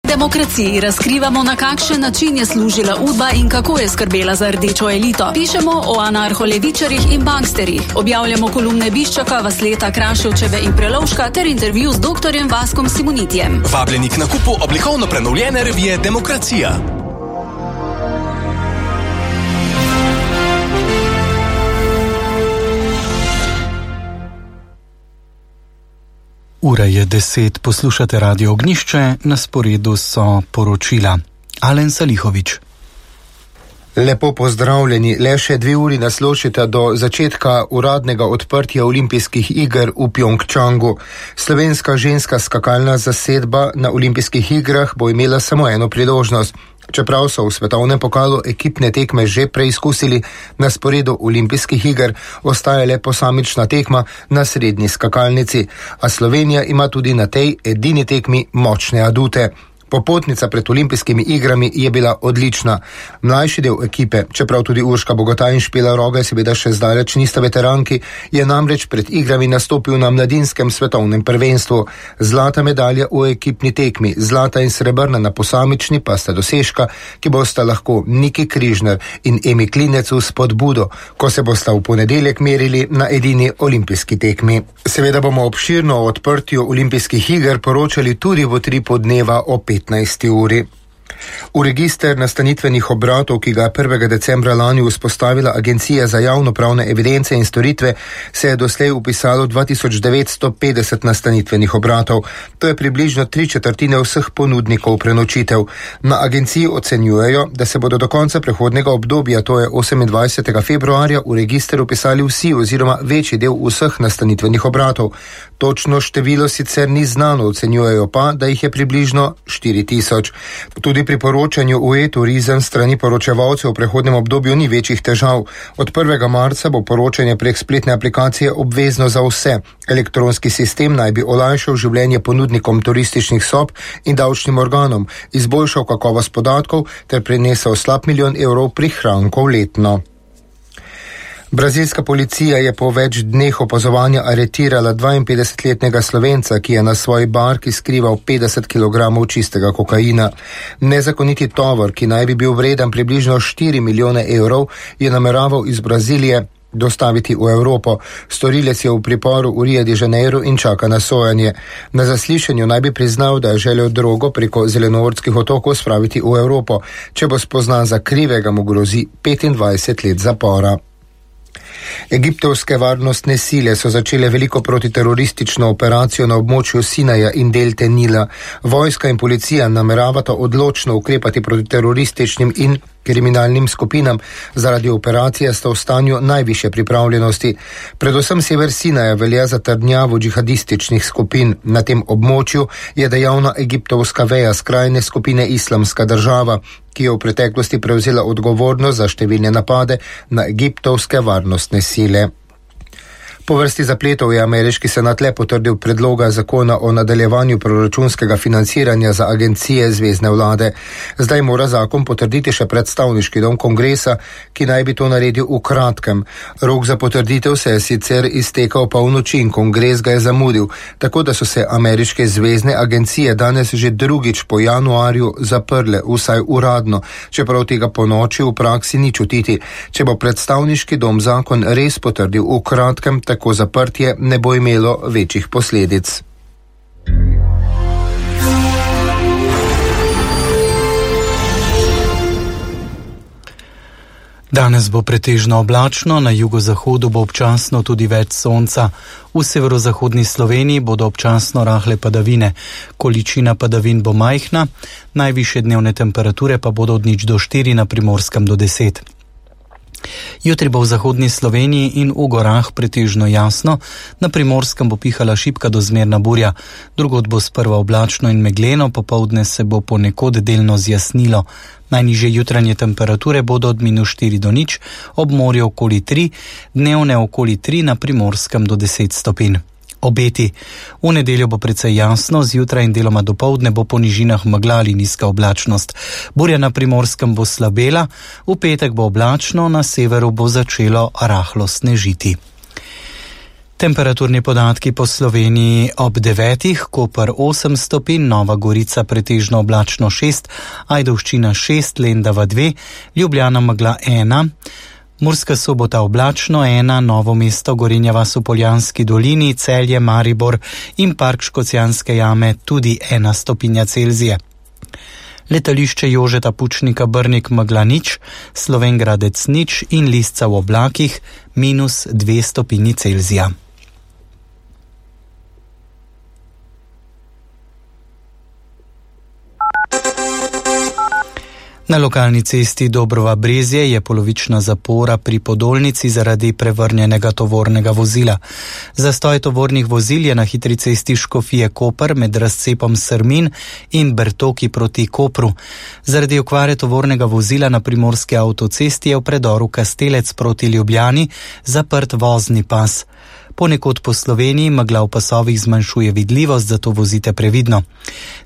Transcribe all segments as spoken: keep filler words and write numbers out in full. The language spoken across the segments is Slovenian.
Demokraciji razkrivamo, na kakšen način je služila Udba in kako je skrbela za rdečo elito. Pišemo o anarholevičarjih in banksterjih. Objavljamo kolumne Biščaka, Vasleta, Kraševčeve in Prelovška ter intervju z doktorjem Vaskom Simonitijem. Vabljeni k nakupu oblikovno prenovljene revije Demokracija. Ura je deset, poslušate Radio Ognjišče, na sporedu so poročila. Alen Salihovič. Lepo pozdravljeni, le še dve uri nas ločita do začetka uradnega odprtja olimpijskih iger v Pjongčangu. Slovenska ženska skakalna zasedba na olimpijskih igrah bo imela samo eno priložnost. Čeprav so v svetovnem pokalu ekipne tekme že preizkusili, na sporedu olimpijskih iger ostaja le posamična tekma na srednji skakalnici, a Slovenija ima tudi na tej edini tekmi močne adute. Popotnica pred olimpijskimi igrami je bila odlična. Mlajši del ekipe, čeprav tudi Urška Bogotaj in Špela Roga seveda še zdaleč nista veteranki, je namreč pred igrami nastopil na mladinskem svetovnem prvenstvu. Zlata medalja v ekipni tekmi, zlata in srebrna na posamični pa sta dosežka, ki bosta lahko Niki Križner in Emi Klinec v spodbudo, ko se bosta v ponedeljek merili na edini olimpijski tekmi. Seveda bomo obširno o odprtju olimpijskih iger poročali tudi v tripu dneva o petnajsti uri. V register nastanitvenih obratov, ki ga je prvega decembra lani vzpostavila Agencija za javnopravne evidence in storitve, se je doslej upisalo dva tisoč devetsto petdeset nastanitvenih obratov. To je približno tri četrtine vseh ponudnikov prenočitev. Na agenciji ocenjujejo, da se bodo do konca prehodnega obdobja, to je osemindvajsetega februarja, v register upisali vsi oziroma večji del vseh nastanitvenih obratov. Točno število sicer ni znano, ocenjujejo pa, da jih je približno štiri tisoč. Tudi pri poročanju v e-turizem strani poročevalcev v prehodnem obdobju ni večjih težav. Od prvega marca bo poročanje prek spletne aplikacije obvezno za vse. Elektronski sistem naj bi olajšal življenje ponudnikom turističnih sob in davčnim organom, izboljšal kakovost podatkov ter prinesel slab milijon evrov prihrankov letno. Brazilska policija je po več dneh opazovanja aretirala dvainpetdesetletnega Slovenca, ki je na svoji barki skrival petdeset kilogramov čistega kokaina. Nezakoniti tovor, ki naj bi bil vreden približno štiri milijone evrov, je nameraval iz Brazilije dostaviti v Evropo. Storilec je v priporu v Rio de Janeiro in čaka na sojanje. Na zaslišanju naj bi priznal, da je želel drogo preko Zelenortskih otokov spraviti v Evropo. Če bo spoznan za krivega, mu grozi petindvajset let zapora. Egiptovske varnostne sile so začele veliko protiteroristično operacijo na območju Sinaja in delte Nila. Vojska in policija nameravata odločno ukrepati proti terorističnim in kriminalnim skupinam. Zaradi operacije sta v stanju najvišje pripravljenosti. Predvsem sever Sinaja velja za trdnjavo džihadističnih skupin. Na tem območju je dejavna egiptovska veja skrajne skupine Islamska država, ki je v preteklosti prevzela odgovornost za številne napade na egiptovske varnostne sile. Po vrsti zapletov je ameriški senat le potrdil predloga zakona o nadaljevanju proračunskega financiranja za agencije zvezne vlade. Zdaj mora zakon potrditi še predstavniški dom kongresa, ki naj bi to naredil v kratkem. Rok za potrditev se je sicer iztekal polnoči in kongres ga je zamudil, tako da so se ameriške zvezne agencije danes že drugič po januarju zaprle, vsaj uradno, čeprav tega po noči v praksi ni čutiti. Če bo predstavniški dom zakon res potrdil v kratkem, tako Tako zaprtje ne bo imelo večjih posledic. Danes bo pretežno oblačno, na jugozahodu bo občasno tudi več sonca. V severozahodni Sloveniji bodo občasno rahle padavine. Količina padavin bo majhna, najvišje dnevne temperature pa bodo od nič do štiri, na Primorskem do deset. Jutri bo v zahodni Sloveniji in v gorah pretežno jasno, na Primorskem bo pihala šibka do zmerna burja, drugod bo sprva oblačno in megleno, popoldne se bo ponekod delno zjasnilo. Najnižje jutranje temperature bodo od minus štiri do nič, ob morju okoli tri, dnevne okoli tri, na Primorskem do deset stopinj. Obeti. V nedeljo bo precej jasno, zjutraj in deloma dopoldne bo po nižinah megla ali nizka oblačnost. Burja na Primorskem bo slabela, v petek bo oblačno, na severu bo začelo rahlo snežiti. Temperaturni podatki po Sloveniji ob devetih, Koper osem stopinj, Nova Gorica pretežno oblačno šest, Ajdovščina šest, Lendava dve, Ljubljana megla ena, Murska Sobota oblačno ena, Novo mesto, Gorenja vas v Poljanski dolini, Celje, Maribor in Park Škocjanske jame tudi ena stopinja Celzija. Letališče Jožeta Pučnika Brnik megla nič, Slovenj Gradec nič in Lisca v oblakih minus dve stopinji Celzija. Na lokalni cesti Dobrova Brezje je polovična zapora pri Podolnici zaradi prevrnjenega tovornega vozila. Zastoj tovornih vozil je na hitri cesti Škofije Koper med razcepom Srmin in Bertoki proti Kopru. Zaradi okvare tovornega vozila na primorski avtocesti je v predoru Kastelec proti Ljubljani zaprt vozni pas. Ponekod po Sloveniji megla v pasovih zmanjšuje vidljivost, zato vozite previdno.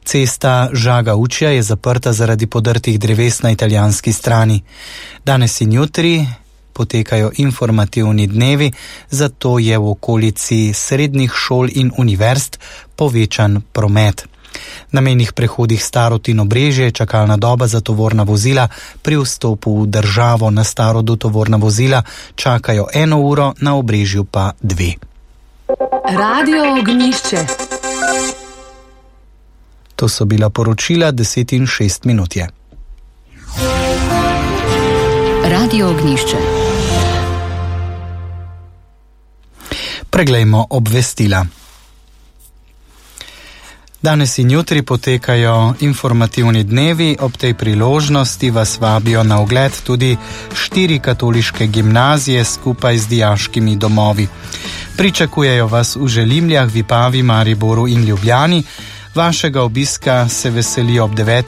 Cesta Žaga-Učja je zaprta zaradi podrtih dreves na italijanski strani. Danes in jutri potekajo informativni dnevi, zato je v okolici srednjih šol in univerz povečan promet. Na mejnih prehodih Starod in Obrežje je čakalna doba za tovorna vozila, pri vstopu v državo na Starodu tovorna vozila čakajo eno uro, na Obrežju pa dve. Radio Ognjišče. To so bila poročila, deset in šest minut je. Radio Ognjišče. Preglejmo obvestila. Danes in jutri potekajo informativni dnevi, ob tej priložnosti vas vabijo na ogled tudi štiri katoliške gimnazije skupaj z dijaškimi domovi. Pričakujejo vas v Želimljah, Vipavi, Mariboru in Ljubljani. Vašega obiska se veselijo ob devetih